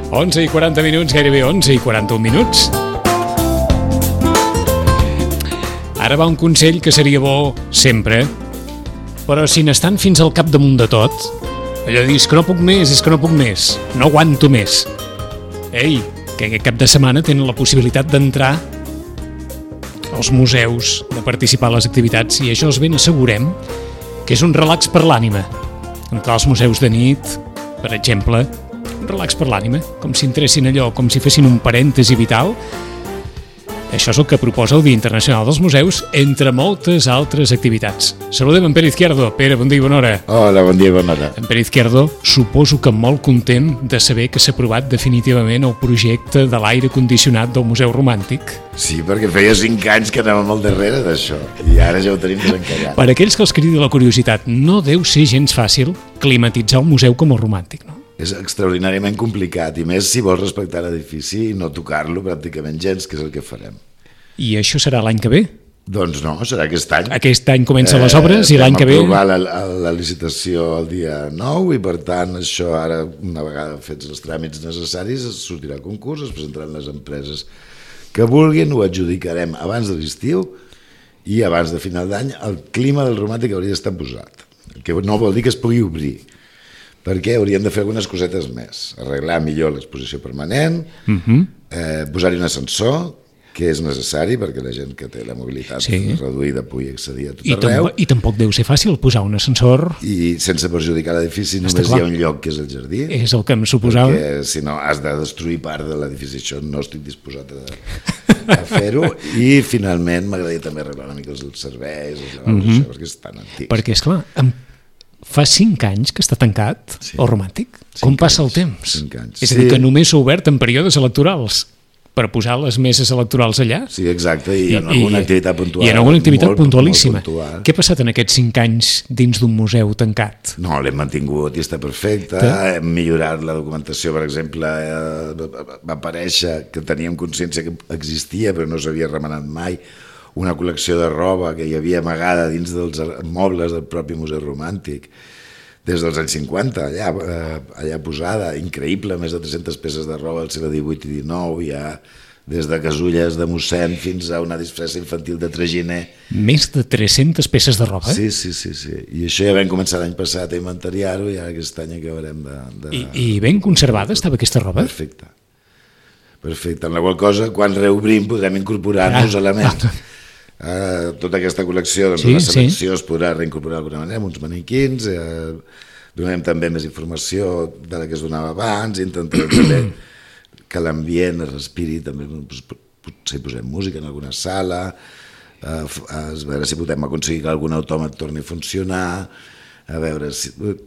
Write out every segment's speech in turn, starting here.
11 i 40 minuts, gairebé 11 i 41 minuts. Ara va un consell que seria bo sempre, però si n'estan fins al capdamunt de tot, allò de dir, és que no puc més, no aguanto més. Ei, que aquest cap de setmana tenen la possibilitat d'entrar als museus, de participar a les activitats, i això els ben assegurem que és un relax per l'ànima. Entrar als museus de nit, per exemple, un relax per l'ànima, com si entressin allò, com si fessin un parèntesi vital. Això és el que proposa el Dia Internacional dels Museus, entre moltes altres activitats. Saludem en Pere Izquierdo. Pere, bon dia i bona hora. Hola, bon dia i bona hora. En Pere Izquierdo, suposo que molt content de saber que s'ha aprovat definitivament el projecte de l'aire condicionat del Museu Romàntic. Sí, perquè feia 5 anys que anàvem al darrere d'això, i ara ja ho tenim desencallat. Per aquells que els cridi la curiositat, no deu ser gens fàcil climatitzar un museu com el Romàntic, no? És extraordinàriament complicat, i més si vols respectar l'edifici i no tocar-lo pràcticament gens, que és el que farem. I això serà l'any que ve? Doncs no, serà aquest any. Aquest any comencen les obres i l'any que ve... Vam aprovar la licitació el dia 9 i per tant això ara, una vegada fets els tràmits necessaris, es sortirà a concurs, es presentaran les empreses que vulguin, ho adjudicarem abans de l'estiu i abans de final d'any el clima del Romàntic hauria d'estar posat, que no vol dir que es pugui obrir, perquè hauríem de fer algunes cosetes més, arreglar millor l'exposició permanent, posar-hi un ascensor, que és necessari perquè la gent que té la mobilitat reduïda pugui accedir a tot arreu. I tampoc deu ser fàcil posar un ascensor. I sense perjudicar l'edifici només hi ha un lloc que és el jardí. És el que em suposava. Perquè si no has de destruir part de l'edifici, això no estic disposat a fer-ho. I finalment m'agradaria també arreglar una mica els serveis, perquè és tan antic. Perquè, esclar, fa 5 anys que està tancat el Romàntic. Com passa el temps? 5 anys. És a dir, que només s'ha obert en períodes electorals per posar les meses electorals allà. Sí, exacte, i en alguna activitat puntual. I en alguna activitat puntualíssima. Què ha passat en aquests 5 anys dins d'un museu tancat? No, l'hem mantingut i està perfecte. Hem millorat la documentació, per exemple, va aparèixer que teníem consciència que existia, però no s'havia remenat mai, una col·lecció de roba que hi havia amagada dins dels mobles del propi Museu Romàntic, des dels anys 50, allà posada, increïble, més de 300 peces de roba al segle XVIII i XIX, ja des de casulles de mossèn fins a una disfressa infantil de traginer. Més de 300 peces de roba? Sí. I això ja vam començar l'any passat a inventariar-ho i ara aquest any acabarem de... I ben conservada estava aquesta roba? Perfecte. En la qual cosa, quan reobrim, podrem incorporar-nos elements. Tota aquesta col·lecció, doncs la selecció es podrà reincorporar d'alguna manera amb uns maniquins, donem també més informació de la que es donava abans, intentarem també que l'ambient es respiri, també potser posem música en alguna sala, a veure si podem aconseguir que algun autòmat torni a funcionar, a veure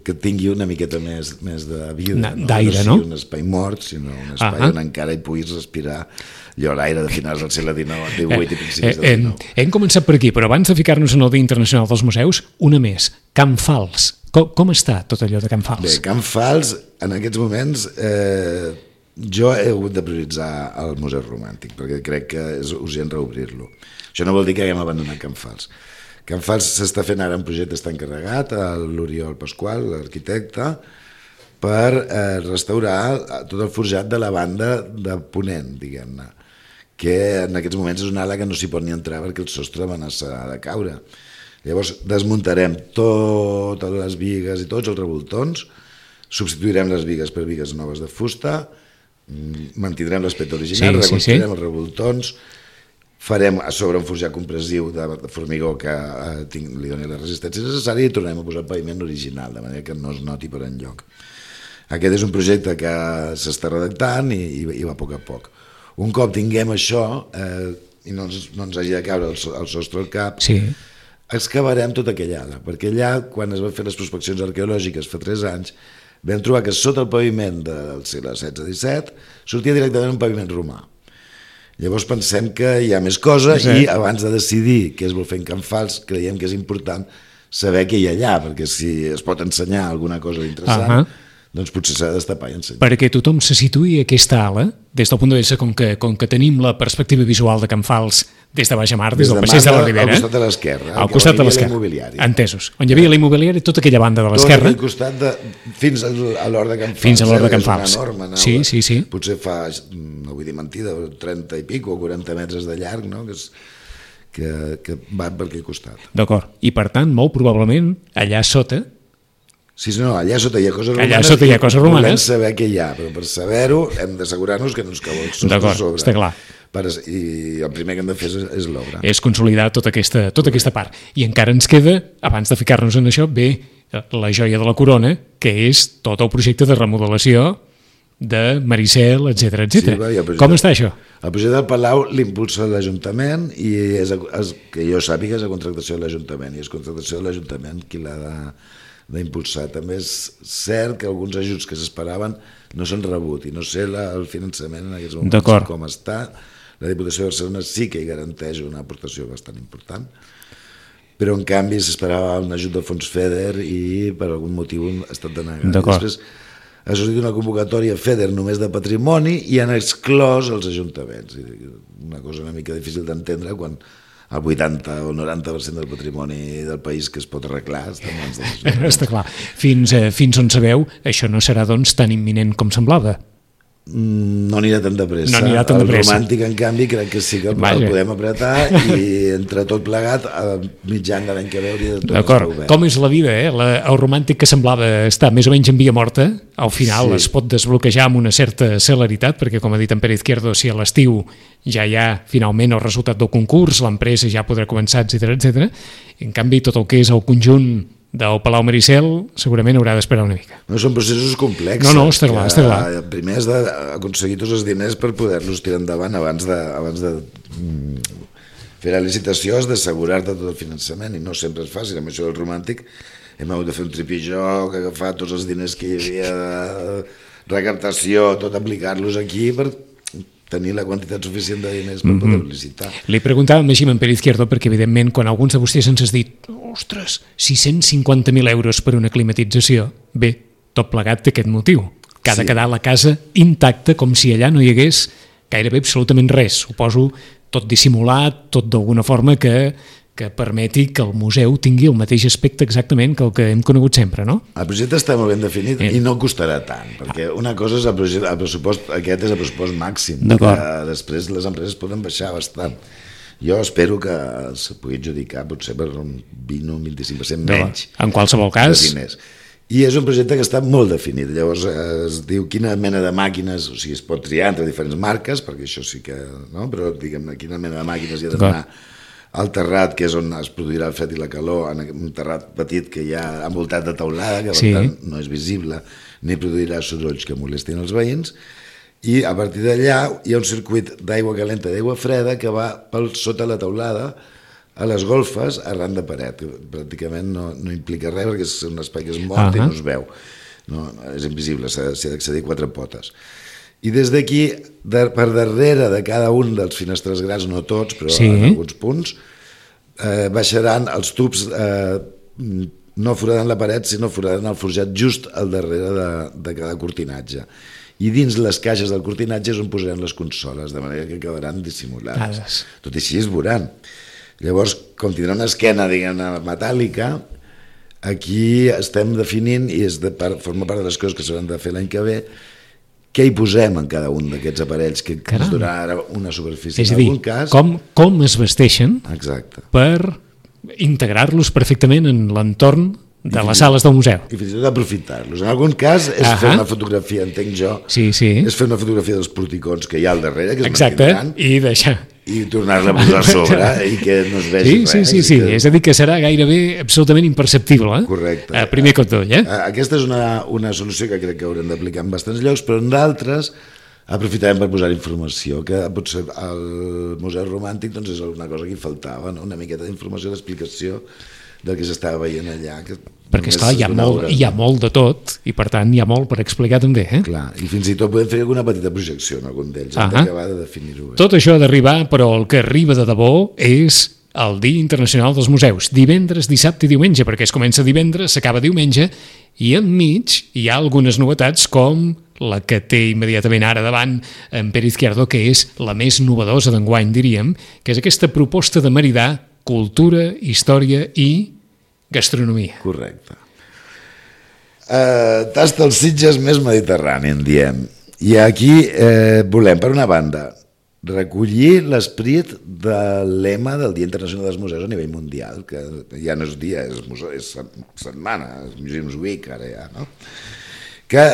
que tingui una miqueta més de vida, d'aire, no? No un espai mort, sinó un espai on encara hi puguis respirar allò l'aire de finals del segle XIX, XVIII i principis del XIX. Hem començat per aquí, però abans de ficar-nos en el Dia Internacional dels Museus, una més, Can Fals. Com està tot allò de Can Fals? Bé, Can Fals, en aquests moments, jo he hagut de prioritzar el Museu Romàntic, perquè crec que és urgent reobrir-lo. Això no vol dir que haguem abandonat Can Fals. Can Fals s'està fent ara un projecte, està encarregat a l'Oriol Pasqual, l'arquitecte, per restaurar tot el forjat de la banda de Ponent, diguem-ne, que en aquests moments és una ala que no s'hi pot ni entrar perquè el sostre amenaça de caure. Llavors desmuntarem totes les bigues i tots els revoltons, substituirem les bigues per bigues noves de fusta, mantindrem l'aspecte original, reconstruirem els revoltons, farem a sobre un forjat compressiu de formigó que li doni la resistència necessària i tornem a posar el paviment original, de manera que no es noti per enlloc. Aquest és un projecte que s'està redactant i va a poc a poc. Un cop tinguem això i no ens hagi de caure el sostre al cap, excavarem tota aquella ala, perquè allà, quan es van fer les prospeccions arqueològiques fa 3 anys, vam trobar que sota el paviment del segle XVI-XVII sortia directament un paviment romà. Llavors pensem que hi ha més coses i abans de decidir què es vol fer en Can Fals creiem que és important saber què hi ha allà, perquè si es pot ensenyar alguna cosa interessant doncs potser s'ha de destapar i ensenyar. Perquè tothom se situï a aquesta ala, des del punt de vista com que tenim la perspectiva visual de Can Fals des de baix a mar, des del passeig de la Ribera. Al costat de l'esquerra. Al costat de l'esquerra. Entesos. On hi havia la immobiliària, tota aquella banda de l'esquerra. Tot aquell costat fins a l'hort de Can Fals. Fins a l'hort de Can Fals. És una enorme nau. Sí. Potser fa, no vull dir mentida, 30 i pico o 40 metres de llarg, no? Que va per aquell costat. D'acord. I per tant, molt probablement, allà sota... Sí, no, allà sota hi ha coses romanes. Allà sota hi ha coses romanes. Volem saber què hi ha, però per saber-ho hem d'assegurar-nos que no ens cau el sostre sobre. D'acord, està clar. I el primer que hem de fer és l'obra. És consolidar tota aquesta part. I encara ens queda, abans de ficar-nos en això, bé, la joia de la corona, que és tot el projecte de remodelació de Maricel, etc. Sí, com està això? El projecte del Palau l'impulsa l'Ajuntament i que jo sàpiga és a contractació de l'Ajuntament i és contractació de l'Ajuntament qui l'ha d'impulsar. També és cert que alguns ajuts que s'esperaven no s'han rebut i no sé el finançament en aquests moments com està. La Diputació de Barcelona sí que hi garanteix una aportació bastant important, però en canvi s'esperava un ajut de fons FEDER i per algun motiu ha estat denegat. Després ha sortit una convocatòria FEDER només de patrimoni i han exclòs els ajuntaments. Una cosa una mica difícil d'entendre quan el 80 o 90% del patrimoni del país que es pot arreglar està en mans dels ajuntaments. Està clar. Fins on sabeu, això no serà doncs tan imminent com semblava. No anirà tan de pressa. El romàntic, en canvi, crec que sí que el podem apretar i entre tot plegat, a mitjan de l'any que ve hauria de tot estar obert. Com és la vida, el romàntic que semblava estar més o menys en via morta, al final es pot desbloquejar amb una certa celeritat, perquè com ha dit en Pere Izquierdo, si a l'estiu ja hi ha finalment el resultat del concurs, l'empresa ja podrà començar, etc. En canvi, tot el que és el conjunt del Palau Maricel segurament haurà d'esperar una mica. No, són processos complexos. No, està clar. Primer has d'aconseguir tots els diners per poder-los tirar endavant abans de fer la licitació, has d'assegurar-te tot el finançament i no sempre és fàcil. Amb això del romàntic hem hagut de fer un tripijó, agafar tots els diners que hi havia de recaptació, tot aplicar-los aquí per tenir la quantitat suficient de diners per poder licitar. Li preguntàvem així en Pere Izquierdo perquè, evidentment, quan alguns de vostès ens has dit ostres, 650.000 euros per una climatització, bé, tot plegat té aquest motiu, que ha de quedar la casa intacta com si allà no hi hagués gairebé absolutament res. Suposo tot dissimulat, tot d'alguna forma que permeti que el museu tingui el mateix aspecte exactament que el que hem conegut sempre, no? El projecte està molt ben definit i no costarà tant, perquè una cosa és el pressupost, aquest és el pressupost màxim, que després les empreses poden baixar bastant. Jo espero que se pugui adjudicar potser per un 20 o un 25% menys. En qualsevol cas. I és un projecte que està molt definit, llavors es diu quina mena de màquines, o sigui, es pot triar entre diferents marques, perquè això sí que, no? Però diguem-ne, quina mena de màquines hi ha d'anar al terrat, que és on es produirà el fred i la calor, en un terrat petit que hi ha envoltat de teulada, que per tant no és visible, ni produirà sorolls que molestin els veïns, i a partir d'allà hi ha un circuit d'aigua calenta i d'aigua freda que va per sota la teulada a les golfes arran de paret, que pràcticament no implica res perquè és un espai que es mort i no es veu, és invisible, s'hi ha d'accedir 4 potes. I des d'aquí, per darrere de cada un dels finestres grans, no tots, però en alguns punts, baixaran els tubs, no foraran la paret, sinó foraran el forjat just al darrere de cada cortinatge. I dins les caixes del cortinatge és on posaran les consoles, de manera que quedaran dissimulades. Tot i així es veuran. Llavors, com tindrà una esquena, diguem-ne, metàl·lica, aquí estem definint, i forma part de les coses que s'hauran de fer l'any que ve, què hi posem en cada un d'aquests aparells que ens donarà una superfície. És a dir, com es vesteixen per integrar-los perfectament en l'entorn de les sales del museu. I fins i tot aprofitar-los. En algun cas és fer una fotografia, entenc jo, és fer una fotografia dels porticons que hi ha al darrere, que es mantindran, i deixar i tornar-la a posar a sobre i que no es vegi res. Sí, és a dir, que serà gairebé absolutament imperceptible. Correcte. Primer cop tot, Aquesta és una solució que crec que haurem d'aplicar en bastants llocs, però en d'altres aprofitarem per posar informació, que potser al Museu Romàntic és una cosa que hi faltava, una miqueta d'informació, d'explicació del que s'estava veient allà. Perquè, esclar, hi ha molt de tot i, per tant, hi ha molt per explicar també. Clar, i fins i tot podem fer alguna petita projecció en algun d'ells, hem d'acabar de definir-ho bé. Tot això ha d'arribar, però el que arriba de debò és el Dia Internacional dels Museus, divendres, dissabte i diumenge, perquè es comença divendres, s'acaba diumenge, i enmig hi ha algunes novetats com la que té immediatament ara davant en Pere Izquierdo, que és la més novedosa d'enguany, diríem, que és aquesta proposta de maridar cultura, història i gastronomia. Correcte. Tasta els Sitges més mediterrani, en diem. I aquí volem, per una banda, recollir l'esperit del lema del Dia Internacional dels Museus a nivell mundial, que ja no és dia, és setmana, és Museums Week, ara ja, no? Que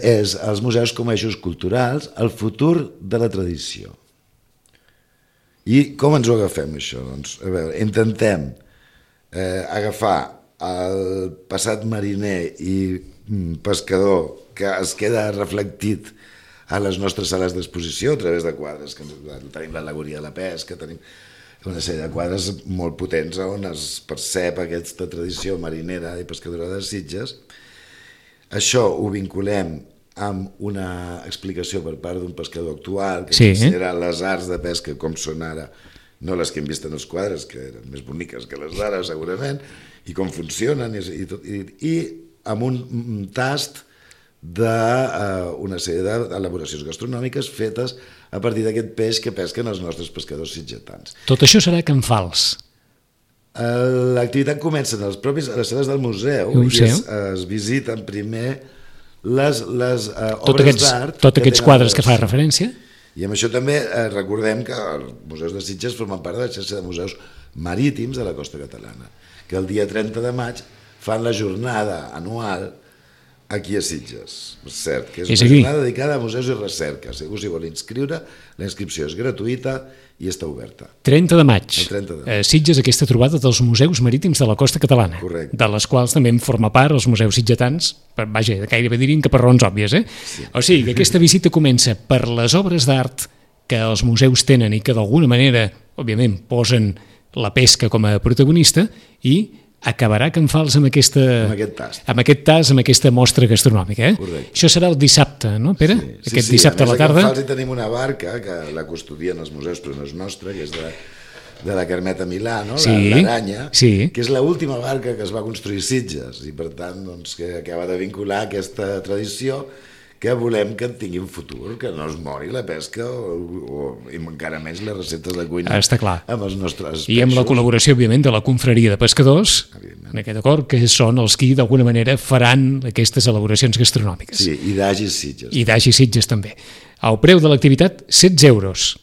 és els museus com a eixos culturals, el futur de la tradició. I com ens ho agafem, això? Doncs, a veure, intentem agafar el passat mariner i pescador que es queda reflectit a les nostres sales d'exposició a través de quadres, que tenim l'al·legoria de la pesca, tenim una sèrie de quadres molt potents on es percep aquesta tradició marinera i pescadora de Sitges. Això ho vinculem amb una explicació per part d'un pescador actual que considera les arts de pesca com són ara, no les que hem vist en els quadres, que eren més boniques que les d'ara segurament, i com funcionen, i amb un tast d'una sèrie d'elaboracions gastronòmiques fetes a partir d'aquest peix que pesquen els nostres pescadors sitgetans. Tot això serà a Can Fals. L'activitat comença a les sales del museu i es visiten primer les obres d'art. Tots aquests quadres que fa referència? I amb això també recordem que els museus de Sitges formen part de la xarxa de museus marítims de la costa catalana, que el dia 30 de maig fan la jornada anual aquí a Sitges, cert, que és una jornada dedicada a museus i recerca. Si algú s'hi vol inscriure, la inscripció és gratuïta i està oberta. 30 de maig. 30 de maig. Sitges, aquesta trobada dels museus marítims de la costa catalana. Correcte. De les quals també en forma part els museus sitgetans, vaja, gairebé diríem que per raons òbvies, Sí. O sigui, que aquesta visita comença per les obres d'art que els museus tenen i que d'alguna manera, òbviament, posen la pesca com a protagonista i acabarà Can Fals amb aquest tast, amb aquesta mostra gastronòmica. Correcte. Això serà el dissabte, no, Pere? Sí. Aquest dissabte a la tarda. A Can Fals hi tenim una barca que la custodien els museus, però no és nostra, que és de la Carmeta Milà, no? L'Aranya, que és l'última barca que es va construir a Sitges i per tant doncs, que acaba de vincular aquesta tradició que volem que tingui un futur, que no es mori la pesca i encara més les receptes de cuina. Està clar. Amb els nostres peixos. I amb la col·laboració, òbviament, de la confraria de pescadors, en aquest acord, que són els qui d'alguna manera faran aquestes elaboracions gastronòmiques. Sí, i d'Agis Sitges. I d'Agis Sitges també. El preu de l'activitat, 16 euros.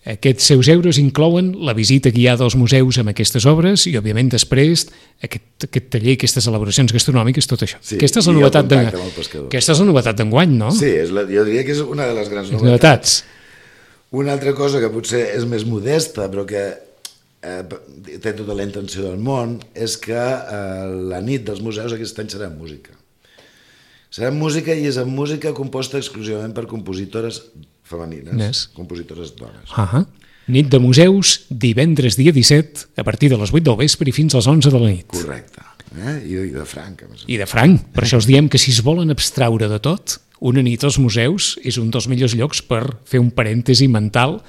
Aquests seus euros inclouen la visita guiada als museus amb aquestes obres i, òbviament, després aquest taller, aquestes elaboracions gastronòmiques, tot això. Sí, aquesta és la novetat d'enguany, no? Sí, jo diria que és una de les grans novetats. Una altra cosa que potser és més modesta, però que té tota la intenció del món, és que la nit dels museus aquest any serà en música. Serà en música i és en música composta exclusivament per compositores femenines, compositores dones. Nit de museus, divendres dia 17, a partir de les 8 del vespre i fins a les 11 de la nit. Correcte. I de franc. I de franc. Per això us diem que si es volen abstraure de tot, una nit als museus és un dels millors llocs per fer un parèntesi mental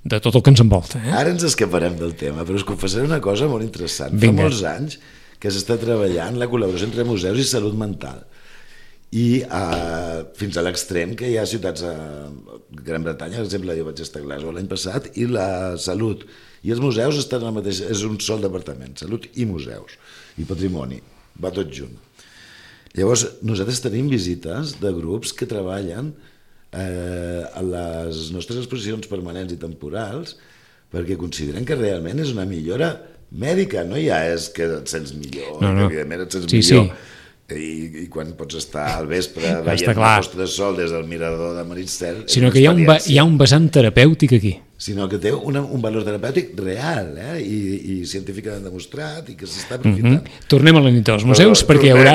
de tot el que ens envolta. Ara ens escaparem del tema, però us confessaré una cosa molt interessant. Fa molts anys que s'està treballant la col·laboració entre museus i salut mental. I fins a l'extrem que hi ha ciutats a Gran Bretanya, per exemple, jo vaig estar a Glasgow l'any passat, i la salut i els museus estan al mateix, és un sol departament, salut i museus, i patrimoni, va tot junt. Llavors, nosaltres tenim visites de grups que treballen a les nostres exposicions permanents i temporals perquè consideren que realment és una millora mèdica, no ja és que et sents millor, evidentment et sents millor. I quan pots estar al vespre veient la posta de sol des del mirador de Maricel, sinó que hi ha un vessant terapèutic aquí, sinó que té un valor terapèutic real i científicament demostrat i que s'està aprofitant. Tornem a la nit dels museus perquè hi haurà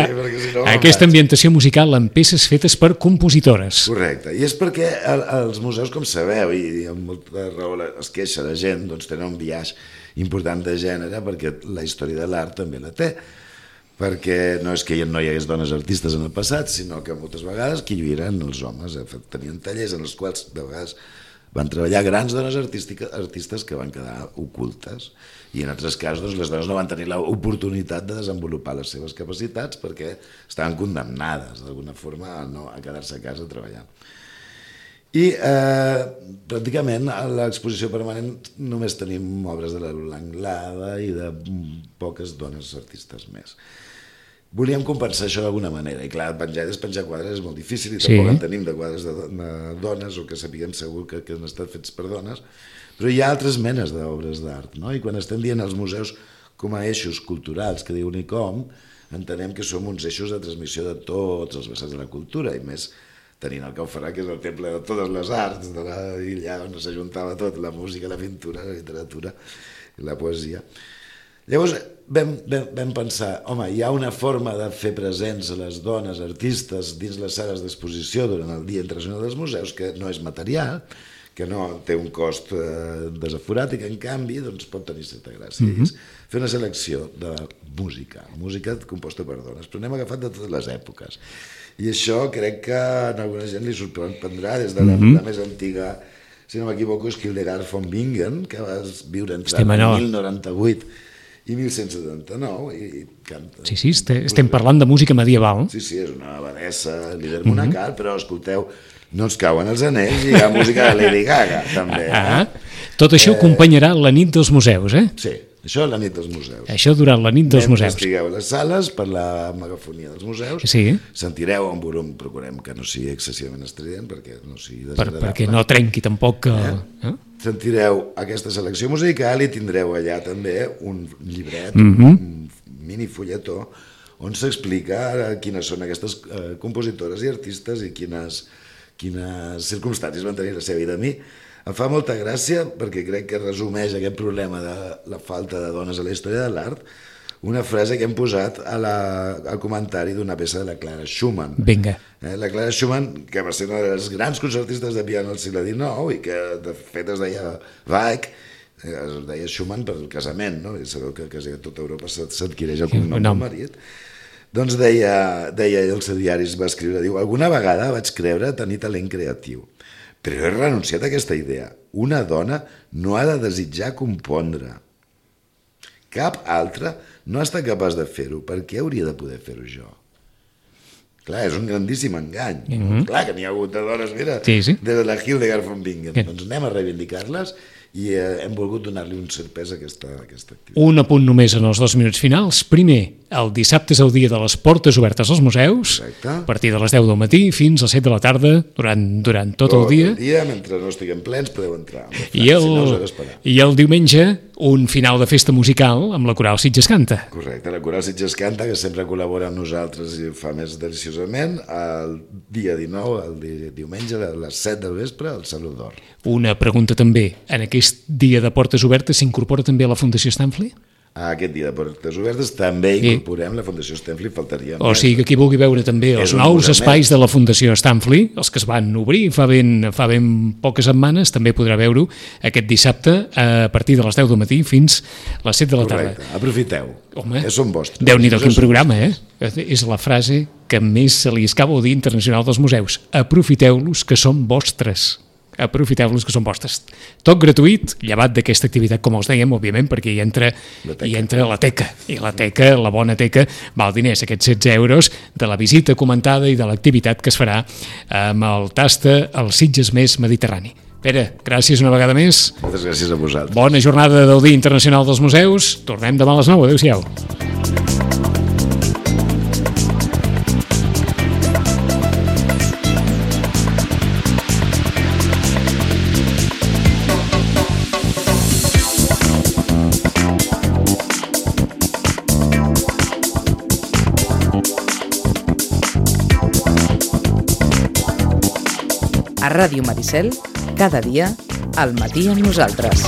aquesta ambientació musical amb peces fetes per compositores. Correcte, i és perquè els museus, com sabeu, i amb molta raó es queixa la gent, doncs tenen un biaix important de gènere perquè la història de l'art també la té, perquè no és que no hi hagués dones artistes en el passat, sinó que moltes vegades qui lluïren els homes, tenien tallers en els quals de vegades van treballar grans dones artistes que van quedar ocultes, i en altres casos les dones no van tenir l'oportunitat de desenvolupar les seves capacitats perquè estaven condemnades d'alguna forma a quedar-se a casa treballant. I pràcticament a l'exposició permanent només tenim obres de la Lola Anglada i de poques dones artistes més. Volíem compensar això d'alguna manera, i clar, despenjar quadres és molt difícil i tampoc en tenim de quadres de dones o que sapiguem segur que han estat fets per dones, però hi ha altres menes d'obres d'art, no? I quan estem dient els museus com a eixos culturals que diu l'ICOM, entenem que som uns eixos de transmissió de tots els vessants de la cultura, i més tenint el Cau Ferran, que és el temple de totes les arts, i allà on s'ajuntava tot, la música, la pintura, la literatura i la poesia. Llavors vam pensar, home, hi ha una forma de fer presents a les dones artistes dins les sales d'exposició durant el Dia Internacional dels Museus que no és material, que no té un cost desaforat i que en canvi pot tenir certa gràcia. És fer una selecció de música composta per dones, però n'hem agafat de totes les èpoques. I això crec que a alguna gent li sorprendrà des de la més antiga, si no m'equivoco, és Hildegard von Bingen, que va viure entre 1098 i 1179 i canta. Sí, estem parlant de música medieval. Sí, és una abadessa, líder monacal, però escolteu, no ens cauen els anells i hi ha música de Lady Gaga, també. Tot això acompanyarà la nit dels museus, eh? Sí, això la nit dels museus. Això durant la nit dels museus. Estigueu a les sales per la megafonia dels museus, sentireu un volum, procurem que no sigui excessivament estrident, perquè no sigui desagradable. Perquè no trenqui tampoc... Sentireu aquesta selecció musical i tindreu allà també un llibret, un mini fulletó, on s'explica quines són aquestes compositores i artistes i quines circumstàncies van tenir la seva vida. A mi em fa molta gràcia, perquè crec que resumeix aquest problema de la falta de dones a la història de l'art, una frase que hem posat al comentari d'una peça de la Clara Schumann. Vinga. La Clara Schumann, que va ser una de les grans concertistes de piano del segle XIX i que de fet es deia Weig, es deia Schumann per el casament, no? I sabeu que quasi a tota Europa s'adquireix el cognom del marit. Doncs deia als diaris, va escriure, diu, alguna vegada vaig creure tenir talent creatiu, però he renunciat a aquesta idea. Una dona no ha de desitjar compondre. Cap altra no ha estat capaç de fer-ho. Per què hauria de poder fer-ho jo? Clar, és un grandíssim engany. Clar que n'hi ha hagut de dones, mira, des de la Hildegard von Bingen. Doncs anem a reivindicar-les i hem volgut donar-li un cert pes a aquesta activitat. Un apunt només en els 2 minuts finals. Primer, el dissabte és el dia de les portes obertes als museus, a partir de les 10 del matí fins a les 7 de la tarda, durant tot el dia. Tot el dia, mentre no estiguem plens, podeu entrar. I el diumenge, un final de festa musical amb la Coral Sitges Canta. Correcte, la Coral Sitges Canta, que sempre col·labora amb nosaltres i ho fa més deliciosament, el dia 19, el diumenge, a les 7 del vespre, al Saló d'Or. Una pregunta també, en aquest dia de portes obertes s'incorpora també la Fundació Stanley? A aquest dia de portes obertes també incorporem la Fundació Stanley, faltaria més. O sigui que qui vulgui veure també els nous espais de la Fundació Stanley, els que es van obrir fa ben poques setmanes, també podrà veure-ho aquest dissabte a partir de les 10 del matí fins a les 7 de la tarda. Correcte, aprofiteu, que són vostres. Déu-n'hi-do, quin programa, eh? És la frase que més se li escapa al Dia Internacional dels Museus. Aprofiteu-los, que són vostres. Aprofiteu-los, que són vostres. Tot gratuït, llevat d'aquesta activitat, com els dèiem, òbviament, perquè hi entra la teca, i la teca, la bona teca, val diners, aquests 16 euros de la visita comentada i de l'activitat que es farà amb el Tasta al Sitges Més Mediterrani. Pere, gràcies una vegada més. Moltes gràcies a vosaltres. Bona jornada del Dia Internacional dels Museus. Tornem demà a les 9. Adéu-siau. A Ràdio Maricel, cada dia, al matí amb nosaltres.